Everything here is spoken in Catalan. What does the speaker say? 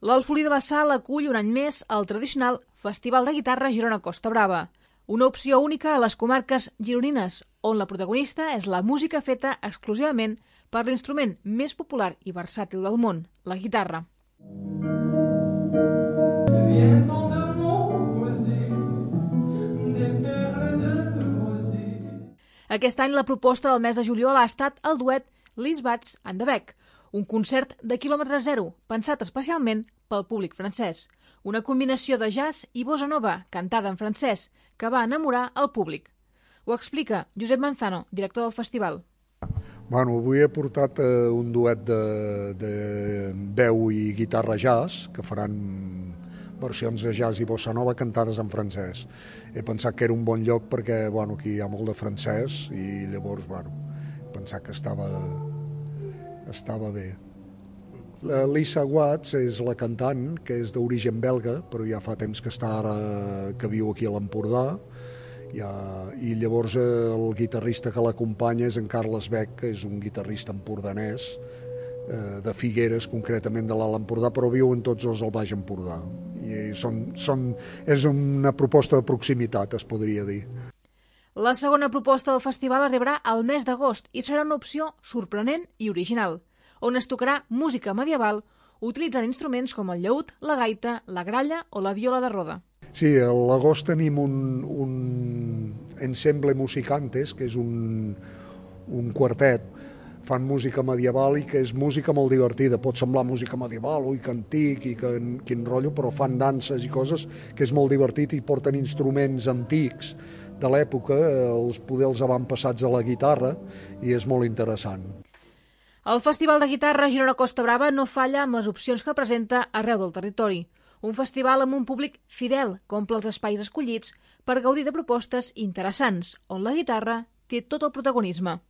L'Alfolí de la Sal acull un any més el tradicional Festival de Guitarra Girona Costa Brava, una opció única a les comarques gironines, on la protagonista és la música feta exclusivament per l'instrument més popular i versàtil del món, la guitarra. Aquest any la proposta del mes de juliol ha estat el duet Liz Bats and the Beck, un concert de quilòmetre zero, pensat especialment pel públic francès. Una combinació de jazz i bossa nova, cantada en francès, que va enamorar el públic. Ho explica Josep Manzano, director del festival. Bueno, avui he portat un duet de veu i guitarra jazz, que faran versions de jazz i bossa nova cantades en francès. He pensat que era un bon lloc perquè aquí hi ha molt de francès i llavors he pensat que estava bé. Lisa Watts és la cantant, que és d'origen belga, però ja fa temps que que viu aquí a l'Empordà, i llavors el guitarrista que l'acompanya és en Carles Beck, que és un guitarrista empordanès, de Figueres, concretament de l'Alt Empordà, però viuen tots dos al Baix Empordà. I és una proposta de proximitat, es podria dir. La segona proposta del festival arribarà al mes d'agost i serà una opció sorprenent i original, on es tocarà música medieval utilitzant instruments com el llaüt, la gaita, la gralla o la viola de roda. Sí, a l'agost tenim un ensemble musicantes, que és un quartet. Fan música medieval i que és música molt divertida. Pot semblar música medieval, ui, que antic i quin rotllo, però fan danses i coses que és molt divertit i porten instruments antics de l'època, els poders avantpassats a la guitarra, i és molt interessant. El Festival de Guitarra Girona Costa Brava no falla amb les opcions que presenta arreu del territori. Un festival amb un públic fidel que omple els espais escollits per gaudir de propostes interessants, on la guitarra té tot el protagonisme.